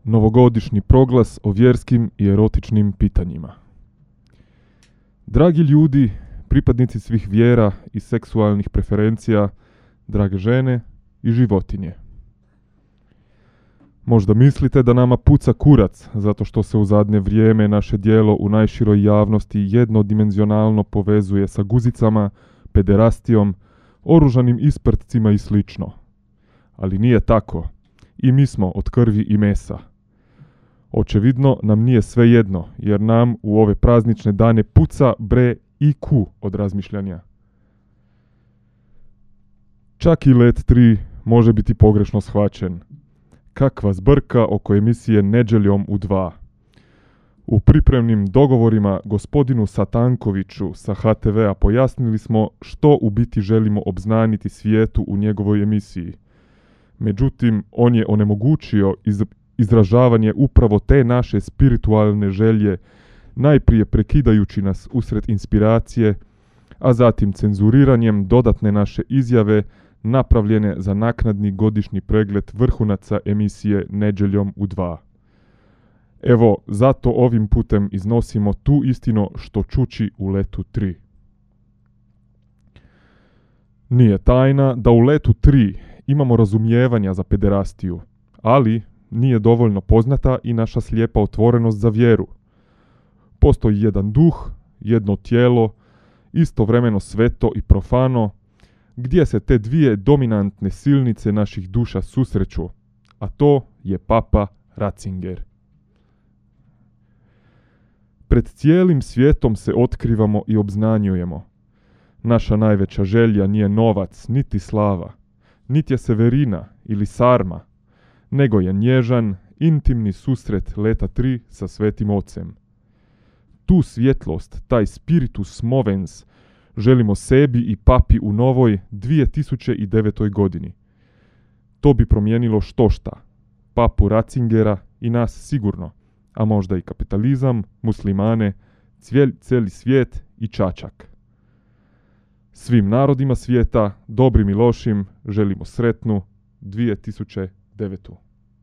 Novogodišnji proglas o vjerskim i erotičnim pitanjima. Dragi ljudi, pripadnici svih vjera i seksualnih preferencija, drage žene i životinje. Možda mislite da nama puca kurac zato što se u zadnje vrijeme naše djelo u najširoj javnosti jednodimenzionalno povezuje sa guzicama, pederastijom, oružanim isprtcima i slično. Ali nije tako. I mi smo od krvi i mesa. Očevidno nam nije sve jedno, jer nam u ove praznične dane puca bre IQ od razmišljanja. Čak i Let 3 može biti pogrešno shvaćen. Kakva zbrka oko emisije Nedjeljom u 2. U pripremnim dogovorima gospodinu Satankoviću sa HTV-a pojasnili smo što u biti želimo obznaniti svijetu u njegovoj emisiji. Međutim, on je onemogućio izražavanje upravo te naše spiritualne želje, najprije prekidajući nas usred inspiracije, a zatim cenzuriranjem dodatne naše izjave napravljene za naknadni godišnji pregled vrhunaca emisije Nedjeljom u 2. Evo, zato ovim putem iznosimo tu istinu što čuči u Letu 3. Nije tajna da u Letu 3 imamo razumijevanja za pederastiju, ali nije dovoljno poznata i naša slijepa otvorenost za vjeru. Postoji jedan duh, jedno tijelo, istovremeno sveto i profano, gdje se te dvije dominantne silnice naših duša susreću, a to je Papa Ratzinger. Pred cijelim svijetom se otkrivamo i obznanjujemo. Naša najveća želja nije novac, niti slava, niti je Severina ili sarma, nego je nježan, intimni susret Leta 3 sa Svetim Ocem. Tu svjetlost, taj spiritus movens, želimo sebi i papi u novoj 2009. godini. To bi promijenilo štošta, papu Ratzingera i nas sigurno, a možda i kapitalizam, muslimane, cijeli svijet i čačak. Svim narodima svijeta, dobrim i lošim, želimo sretnu 2009.